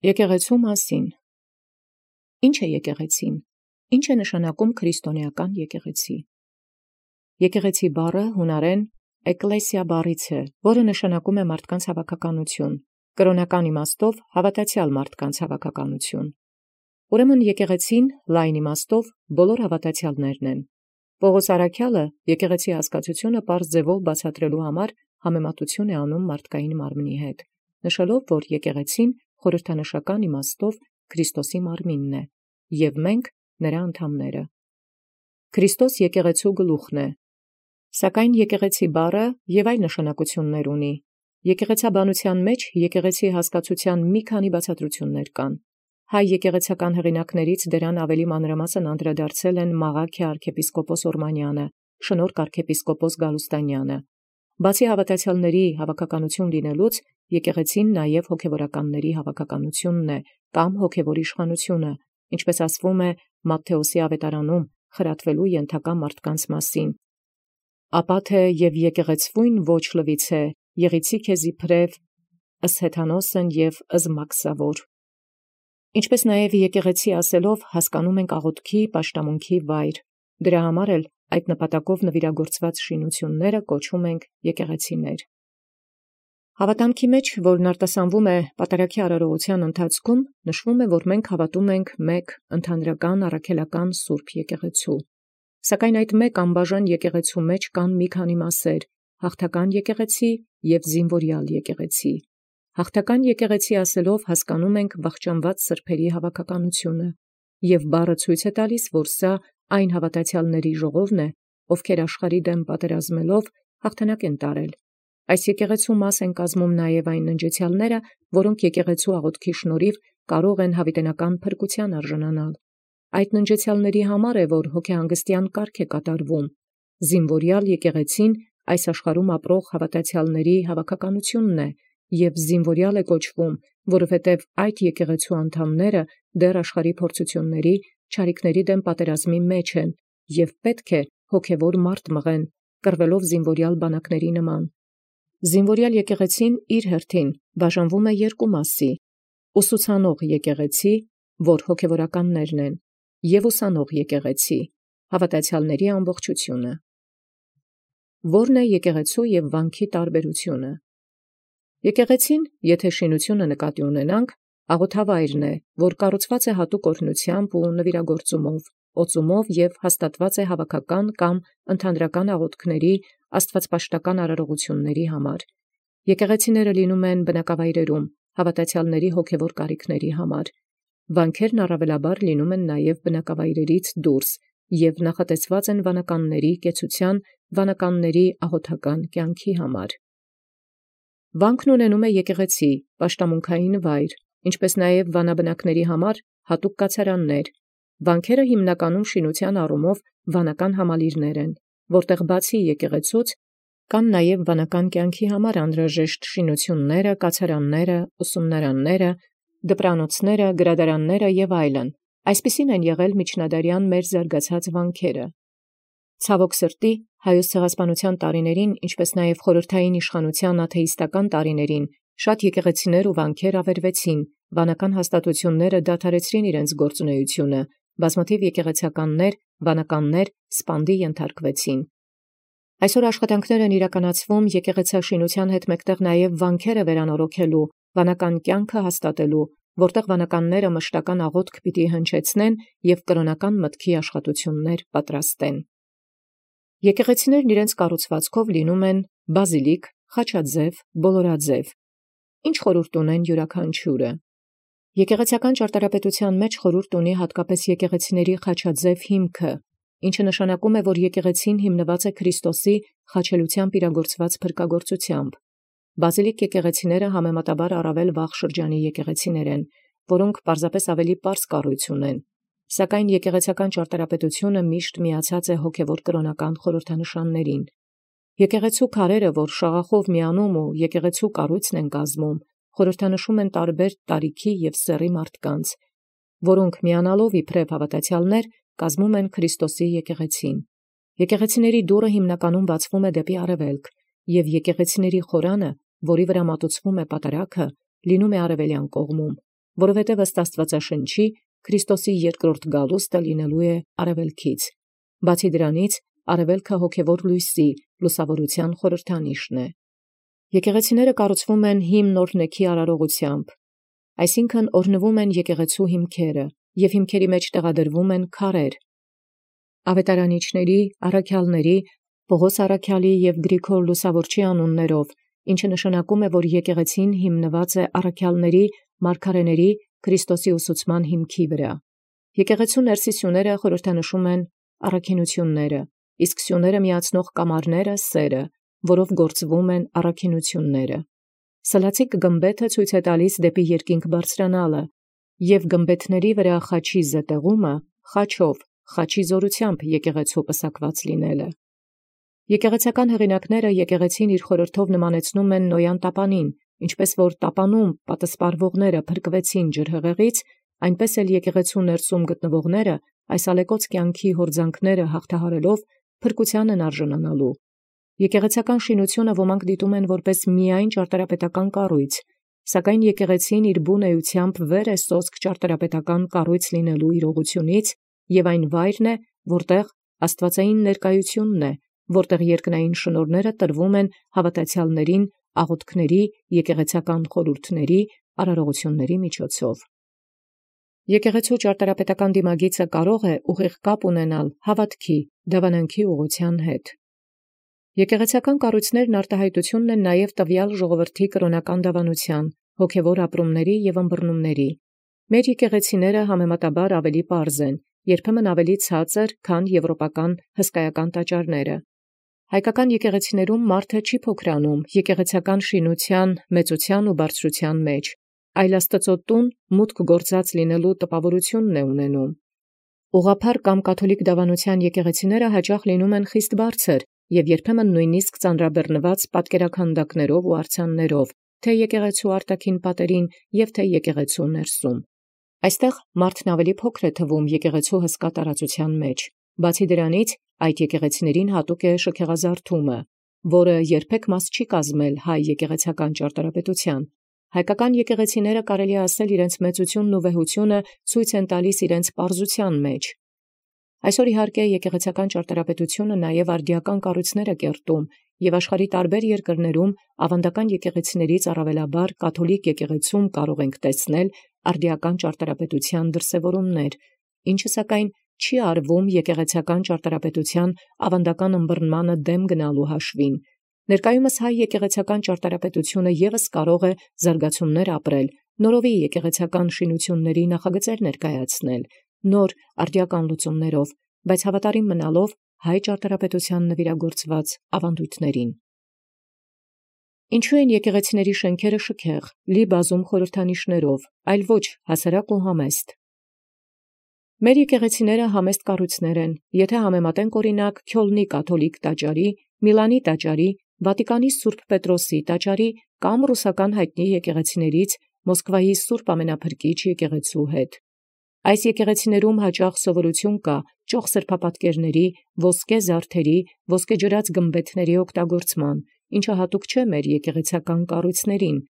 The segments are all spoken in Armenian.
Եկեղեցու մասին։ Ինչ է եկեղեցին։ Ինչ է նշանակում քրիստոնեական եկեղեցի։ Եկեղեցի բառը հունարեն էկլեսիա բառից է, որը նշանակում է մարդկանց հավաքականություն, կրոնական իմաստով հավատացյալ մարդկանց հավաքականություն։ Ուրեմն եկեղեցին լայն իմաստով բոլոր հավատացյալներն են։ Պողոս առաքյալը եկեղեցի հասկացությունը պարզ ձևով բացատրելու համար համեմատություն է անում մարդկային մարմնի հետ, նշելով, որ եկեղեցին խորհրդանշական իմաստով Քրիստոսի մարմինն է, և մենք նրա անդամները։ Քրիստոս եկեղեցու գլուխն է, սակայն եկեղեցի բառը և այլ նշանակություններ ունի։ Եկեղեցաբանության մեջ եկեղեցի հասկացության մի քանի բացատրություններ կան։ Հայ եկեղեցական հեղինակներից դրան ավելի մանրամասն անդրադարձել են Մաղաքյ arczepiskopos Օրմանյանը, Շնորհք arczepiskopos Գալուստանյանը։ Բացի հավատացյալների հավաքականություն լինելուց, եկեղեցին նաև հոգևորականների հավաքականությունն է կամ հոգևոր իշխանությունը, ինչպես ասվում է Մատթեոսի ավետարանում խրատվելու ենթակա մարդկանց մասին։ Ապա թե և եկեղեցվույն ոչ լվիցե, եղիցի քեզի փրև, ըս հեթանոսն և ըս մաքսավոր։ Ինչպես նաև եկեղեցի ասելով հասկանում ենք աղոթքի, պաշտամունքի վայր։ Դրա համար էլ այդ նպատակով նվիրագործված շինությունները կոչում ենք եկեղեցիներ։ Հավատամքի մեջ, որն արտասանվում է պատարագի արարողության ընթացքում, նշվում է, որ մենք հավատում ենք մեկ ընդհանրական առաքելական սուրբ եկեղեցու։ Սակայն այդ մեկ անբաժան եկեղեցու մեջ կան մի քանի մասեր՝ հաղթական եկեղեցի և զինվորյալ եկեղեցի։ Հաղթական եկեղեցի ասելով հասկանում ենք վախճանված սրբերի հավաքականությունը, և բառը ցույց է տալիս, որ սա այն հավատացյալների ժողովն է, ովքեր աշխարհի դեմ պատերազմելով հաղթանակ են տարել։ Այս եկեղեցու մաս են կազմում նաև այն ննջեցյալները, որոնք եկեղեցու աղոթքի շնորհիվ կարող են հավիտենական փրկության արժանանալ։ Այդ ննջեցյալների համար է, որ հոգեհանգստյան կարգ է կատարվում։ Զինվորյալ եկեղեցին այս աշխարհում ապրող հավատացյալների հավաքականությունն է, և զինվորյալ է կոչվում, որովհետև այդ եկեղեցու անդամները դեռ աշխարհի փորձությունների, չարիքների դեմ պատերազմի մեջ են, և պետք է հոգևոր մարդ մղեն, կռվելով զինվորյալ բանակների նման։ Զինվորյալ եկեղեցին իր հերթին բաժանվում է երկու մասի՝ ուսուցանող եկեղեցի, որ հոգևորականներն են, և ուսանող եկեղեցի, հավատացյալների ամբողջությունը։ Ո՞րն է եկեղեցու և վանքի տարբերությունը։ Եկեղեցին, եթե շինությունը նկատի ունենանք, աղոթավայրն է, որ կառուցված է հատուկ օրհնությամբ ու նվիրագործումով, օծումով և հաստատված է հավաքական կամ ընդհանրական աղոթքների, աստվածպաշտական արարողությունների համար։ Եկեղեցիները լինում են բնակավայրերում, հավատացյալների հոգևոր կարիքների համար։ Վանքերն առավելաբար լինում են նաև բնակավայրերից դուրս և նախատեսված են վանականների կեցության, վանականների աղոթական կյանքի համար։ Վանքն ունենում է եկեղեցի, պաշտամունքային վայր, ինչպես նաև վանաբնակների համար հատուկ կացարաններ։ Վանքերը հիմնականում շինության առումով վանական համալիրներ են, որտեղ բացի եկեղեցուց կան նաև վանական կյանքի համար անհրաժեշտ շինությունները, կացարանները, ուսումնարանները, դպրանոցները, գրադարանները և այլն։ Այսպիսին են եղել միջնադարյան մեր զարգացած վանքերը։ Ցավոք սրտի, Հայոց ցեղասպանության տարիներին, ինչպես նաև խորհրդային իշխանության աթեիստական տարիներին, շատ եկեղեցիներ ու վանքեր ավերվեցին, վանական հաստատությունները դադարեցրին իրենց գործունեությունը, բազմաթիվ եկեղեցականներ, վանականներ սպանդի ենթարկվեցին։ Այսօր աշխատանքներ են իրականացվում եկեղեցաշինության հետ մեկտեղ նաև վանքերը վերանորոգելու, վանական կյանքը հաստատելու, որտեղ վանականները մշտական աղոթք պիտի հնչեցնեն և կրոնական մտքի աշխատություններ պատրաստեն։ Եկեղեցիներն իրենց կառուցվածքով լինում են բազիլիկ, խաչաձև, բոլորաձև։ Ինչ խորհուրդ ունեն յուրաքանչյուրը։ Եկեղեցական ճարտարապետության մեջ խորհուրդ ունի հատկապես եկեղեցիների խաչաձև հիմքը, ինչը նշանակում է, որ եկեղեցին հիմնված է Քրիստոսի խաչելությամբ իրագործված փրկագործությամբ։ Բազիլիկ եկեղեցիները համեմատաբար առավել վաղ շրջանի եկեղեցիներ են, որոնք պարզապես ավելի պարզ կառույց ունեն, սակայն եկեղեցական ճարտարապետությունը միշտ միացած է հոգևոր կրոնական խորհրդանշաններին։ Եկեղեցու քարերը, որ շաղախով միանում ու եկեղեցու կառույցն են կազմում, խորհրդանշում են տարբեր տարիքի և սեռի մարդկանց, որոնք միանալով իբրև հավատացյալներ կազմում են Քրիստոսի եկեղեցին։ Եկեղեցիների դուռը հիմնականում բացվում է դեպի արևելք, և եկեղեցիների խորանը, որի վրա մատուցվում է պատարագը, լինում է արևելյան կողմում, որովհետև ըստ Աստվածաշնչի Քրիստոսի երկրորդ գալուստը լինելու է արևելքից։ Բացի դրանից, արևելքը հոգևոր լույսի, լուսավորության խորհրդանիշն է։ Եկեղեցիները կառուցվում են հիմն օրհնեքի արարողությամբ, այսինքն օրհնվում են եկեղեցու հիմքերը, և հիմքերի մեջ տեղադրվում են քարեր։ Ավետարանիչների, առաքյալների, Պողոս առաքյալի և Գրիգոր Լուսավորչի անուններով, ինչը նշանակում է, որ եկեղեցին հիմնված է առաքյալների, մարգարեների, Քրիստոսի ուսուցման հիմքի վրա։ Եկեղեցու ներսի սյուները խորհրդանշում են առաքինությունները, իսկ սյուները միացնող կամարները սերը, որով գործվում են առաքինությունները։ Սլացիկ գմբեթը ցույց է տալիս դեպի երկինք բարձրանալը, և գմբեթների վրա խաչի զետեղումը խաչով, խաչի զորությամբ եկեղեցու պսակված լինելը։ Եկեղեցական հեղինակները եկեղեցին իր խորհրդով նմանեցնում են Նոյան տապանին, ինչպես որ տապանում պատսպարվողները փրկվեցին ջրհեղեղից, այնպես էլ եկեղեցու ներսում գտնվողները այս ալեկոծ կյանքի հորձանքները հաղթահարելով փրկության են արժանանալու։ Եկեղեցական շինությունը ոմանք դիտում են որպես միայն ճարտարապետական կառույց, սակայն եկեղեցին իր բուն էությամբ վեր է սոսկ ճարտարապետական կառույց լինելու իրողությունից, և այն վայրն է, որտեղ աստվածային ներկայությունն է, որտեղ երկնային շնորհները տրվում են հավատացյալներին աղոթքների, եկեղեցական խորհուրդների, արարողությունների միջոցով։ Եկեղեցու ճարտարապետական դիմագիծը կարող է ուղիղ կապ ունենալ հավատքի, դավանանքի ուղղության հետ։ Եկեղեցական կառույցներն արտահայտությունն են նաև տվյալ ժողովրդի կրոնական դավանության, հոգևոր ապրումների և ըմբռնումների։ Մեր եկեղեցիները համեմատաբար ավելի պարզ են, երբեմն ավելի ցածր, քան եվրոպական հսկայական տաճարները։ Հայկական եկեղեցիներում մարդը չի փոքրանում եկեղեցական շինության մեծության ու բարձրության մեջ, այլ Աստծո տուն մուտք գործած լինելու տպավորությունն է ունենում։ Ուղղափառ կամ կաթոլիկ դավանության եկեղեցիները հաճախ լինում են խիստ բարձր և երբեմն նույնիսկ ծանրաբեռնված պատկերաքանդակներով ու արձաններով, թե եկեղեցու արտաքին պատերին և թե եկեղեցու ներսում։ Այստեղ մարդն ավելի փոքր է թվում եկեղեցու հսկա տարածության մեջ։ Բացի դրանից, այդ եկեղեցիներին հատուկ է շքեղազարդումը, որը երբեք մաս չի կազմել հայ եկեղեցական ճարտարապետության։ Հայկական եկեղեցիները կարելի է ասել իրենց մեծությունն ու վեհությունը ցույց են տալիս իրենց պարզության մեջ։ Այսօր իհարկե եկեղեցական ճարտարապետությունը նաև արդիական կառույցներ է կերտում, և աշխարհի տարբեր երկրներում ավանդական եկեղեցիներից առավելաբար կաթոլիկ եկեղեցում կարող ենք տեսնել արդիական ճարտարապետության դրսևորումներ, ինչը սակայն չի արվում եկեղեցական ճարտարապետության ավանդական ըմբռնմանը դեմ գնալու հաշվին։ Ներկայումս հայ եկեղեցական ճարտարապետությունը ևս կարող է զարգացումներ ապրել, նորովի եկեղեցական շինությունների նախագծեր ներկայացնել, նոր արդիական լուծումներով, բայց հավատարիմ մնալով հայ ճարտարապետության նվիրագործված ավանդույթներին։ Ինչու են եկեղեցիների շենքերը շքեղ, լի բազում խորհրդանիշներով, այլ ոչ հասարակ ու համեստ։ Մեր եկեղեցիները համեստ կառույցներ են, եթե համեմատենք օրինակ Քյոլնի կաթոլիկ տաճարի, Միլանի տաճարի, Վատիկանի Սուրբ Պետրոսի տաճարի կամ ռուսական հայտնի եկեղեցիներից Մոսկվայի Սուրբ Ամենափրկիչ եկեղեցու հետ։ Այս եկեղեցիներում հաճախ սովորություն կա ճոխ սրբապատկերների, ոսկե զարդերի, ոսկեջրած գմբեթների օգտագործման, ինչը հատուկ չէ մեր եկեղեցական կառույցներին։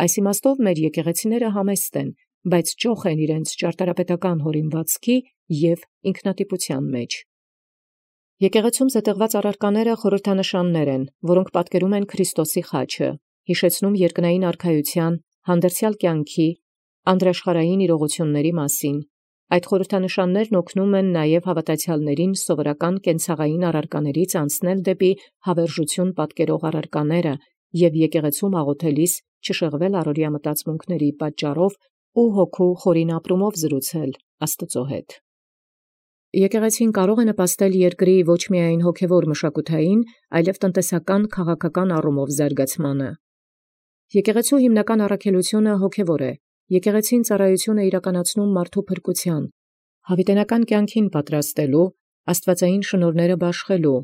Այս իմաստով մեր եկեղեցիները համեստ են, բայց ճոխ են իրենց ճարտարապետական հորինվածքի և ինքնատիպության մեջ։ Եկեղեցում զետեղված առարկաները խորհրդանշաններ են, որոնք պատկերում են Քրիստոսի խաչը, հիշեցնում երկնային արքայության, հանդերձյալ կյանքի, անդրաշխարհային իրողությունների մասին։ Այդ խորհրդանշաններն օգնում են նաև հավատացյալներին սովորական կենցաղային առարկաներից անցնել դեպի հավերժություն պատկերող առարկաները և եկեղեցում աղոթելիս չշեղվել առօրյա մտածմունքների պատճառով ու հոգու խորին ապրումով զրուցել Աստծո հետ։ Եկեղեցին կարող է նպաստել երկրի ոչ միայն հոգևոր մշակութային, այլև տնտեսական, քաղաքական առումով զարգացմանը։ Եկեղեցու հիմնական առաքելությունը հոգևոր է։ Եկեղեցին ծառայություն է իրականացնում մարդու փրկության, հավիտենական կյանքին պատրաստելու, աստվածային շնորհները բաշխելու,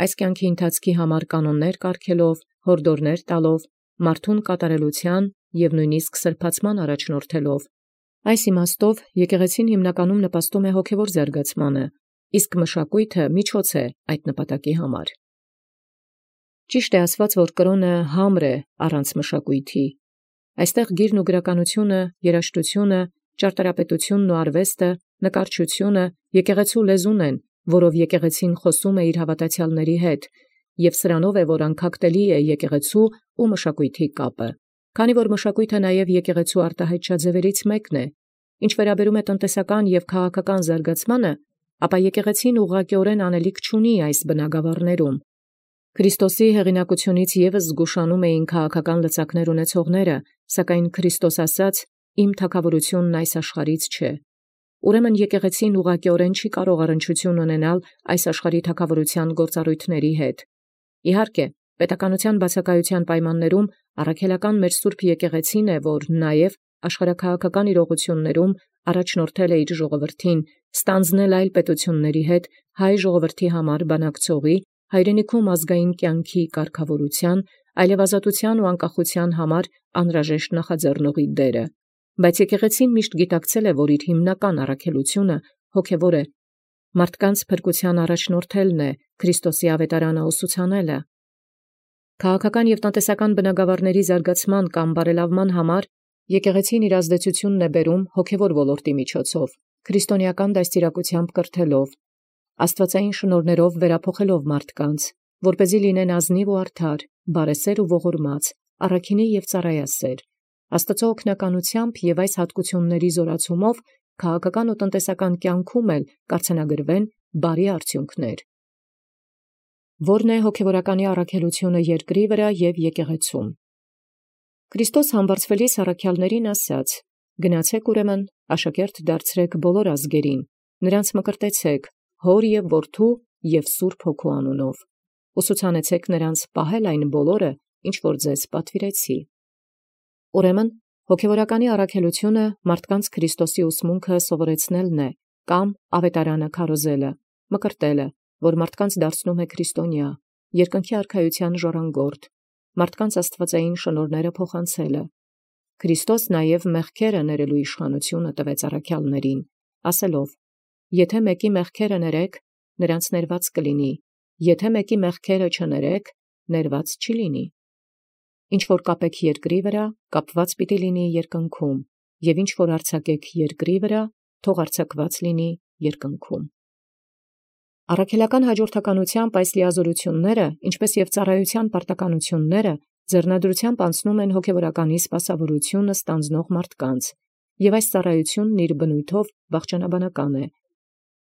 այս կյանքի ընթացքի համար կանոններ կարգելով, հորդորներ տալով, մարդուն կատարելության և նույնիսկ սրբացման առաջնորդելով։ Այս իմաստով եկեղեցին հիմնականում նպաստում է հոգևոր զարգացմանը, իսկ մշակույթը միջոց է այդ նպատակի համար։ Ճիշտ է ասված, որ կրոնը համր է առանց մշակույթի։ Այստեղ գիրն ու գրականությունը, երաժշտությունը, ճարտարապետությունն ու արվեստը, նկարչությունը եկեղեցու լեզուն են, որով եկեղեցին խոսում է իր հավատացյալների հետ, եւ սրանով է, որ անկախտելի է եկեղեցու ու մշակույթի կապը։ Քանի որ մշակույթը նաև եկեղեցու արտահայտչաձևերից մեկն է, ինչ վերաբերում է տնտեսական եւ քաղաքական զարգացմանը, ապա եկեղեցին ուղղակիորեն անելիք չունի այս բնագավառներում։ Քրիստոսի հեղինակությունից եւս զգուշանում էին քաղաքական լծակներ ունեցողները, սակայն Քրիստոս ասաց. «Իմ թագավորությունն այս աշխարհից չէ»։ Ուրեմն եկեղեցին ուղղակիորեն չի կարող առնչություն ունենալ այս աշխարհի թագավորության գործառույթների հետ։ Իհարկե, պետականության բացակայության պայմաններում առաքելական մեր Սուրբ եկեղեցին է, որ նաև աշխարհաքաղաքական իրողություններում առաջնորդել է իր ժողովրդին, ստանձնել այլ պետությունների հետ հայ ժողովրդի համար բանակցողի, հայրենիքում ազգային կյանքի կարգավորության, այլևազատության ու անկախության համար անհրաժեշտ նախաձեռնողի դերը։ Բայց եկեղեցին միշտ գիտակցել է, որ իր հիմնական առաքելությունը հոգևոր է, մարդկանց փրկության առաջնորդելն է, Քրիստոսի ավետարանը ուսուցանելը։ Քաղաքական եւ տնտեսական բնագավառների զարգացման կամ բարելավման համար եկեղեցին իր ազդեցությունն է բերում հոգևոր ոլորտի միջոցով, քրիստոնեական դաստիարակությամբ կրթելով, աստվածային շնորհներով վերափոխելով մարդկանց, որպեսզի լինեն ազնիվ ու արդար, բարեսեր ու ողորմած, առաքինի եւ ծառայասեր, Աստծո օգնականությամբ եւ այս հատկությունների զորացումով քաղաքական ու տնտեսական կյանքում էլ կարգնագրվեն բարի արդյունքներ։ Որն է հոգևորականի առաքելությունը երկրի վրա եւ եկեղեցում։ Քրիստոս համբարձվելիս առաքյալներին ասաց. «Գնացեք ուրեմն, աշակերտ դարձրեք բոլոր ազգերին, նրանց մկրտեցեք, Հոր եւ Որդու եւ Սուրբ Հոգու անունով, ուսուցանեցեք նրանց պահել այն բոլորը, ինչ որ ձեզ պատվիրեցի»։ Ուրեմն հոգևորականի առաքելությունը մարդկանց Քրիստոսի ուսմունքը սովորեցնելն է, կամ ավետարանը քարոզելը, մկրտելը, որ մարդկանց դարձնում է քրիստոնյա, երկնքի արքայության ժառանգորդ, մարդկանց աստվածային շնորհները փոխանցելը։ Քրիստոս նաև մեղքերը ներելու իշխանությունը տվեց առաքյալներին, ասելով. «Եթե մեկի մեղքերը ներեք, նրանց ներված կլինի, եթե մեկի մեղքերը չներեք, ներված չի լինի։ Ինչ որ կապեք երկրի վրա, կապված պիտի լինի երկնքում, եւ ինչ որ արձակեք երկրի վրա, թող արձակված լինի երկնքում»։ Առաքելական հաջորդականությամբ այս լիազորությունները, ինչպես եւ ծառայության պարտականությունները, ձեռնադրությամբ անցնում են հոգևորականի սպասավորությունը ստանձնող մարդկանց, եւ այս ծառայությունն իր բնույթով վախճանաբանական է,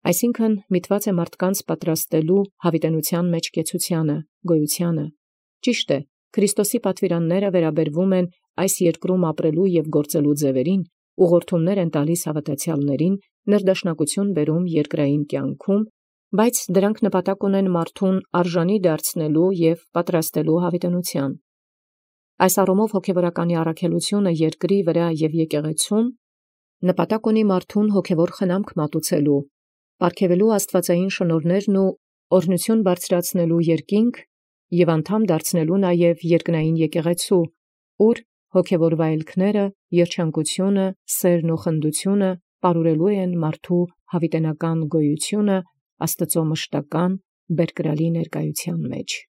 այսինքն միտված է մարդկանց պատրաստելու հավիտենության մեջ կեցությանը, գոյությանը։ Ճիշտ է, Քրիստոսի պատվիրանները վերաբերվում են այս երկրում ապրելու եւ գործելու ձևերին, ուղղորդումներ են տալիս հավատացյալներին, ներդաշնակություն բերում երկրային կյանքում, բայց դրանք նպատակ ունեն մարդուն արժանի դարձնելու եւ պատրաստելու հավիտենության։ Այս առումով հոգևորականի առաքելությունը երկրի վրա եւ եկեղեցում նպատակ ունի մարդուն հոգևոր խնամք մատուցելու, պարգևելու աստվածային շնորհներն ու օրհնություն բարձրացնելու երկինք եւ անդամ դարձնելու նաեւ երկնային եկեղեցու, ուր հոգևոր վայելքները, երջանկությունը, սերն ու խնդությունը պարուրելու են մարդու հավիտենական գոյությունը Աստծո մշտական բերկրալի ներկայության մեջ։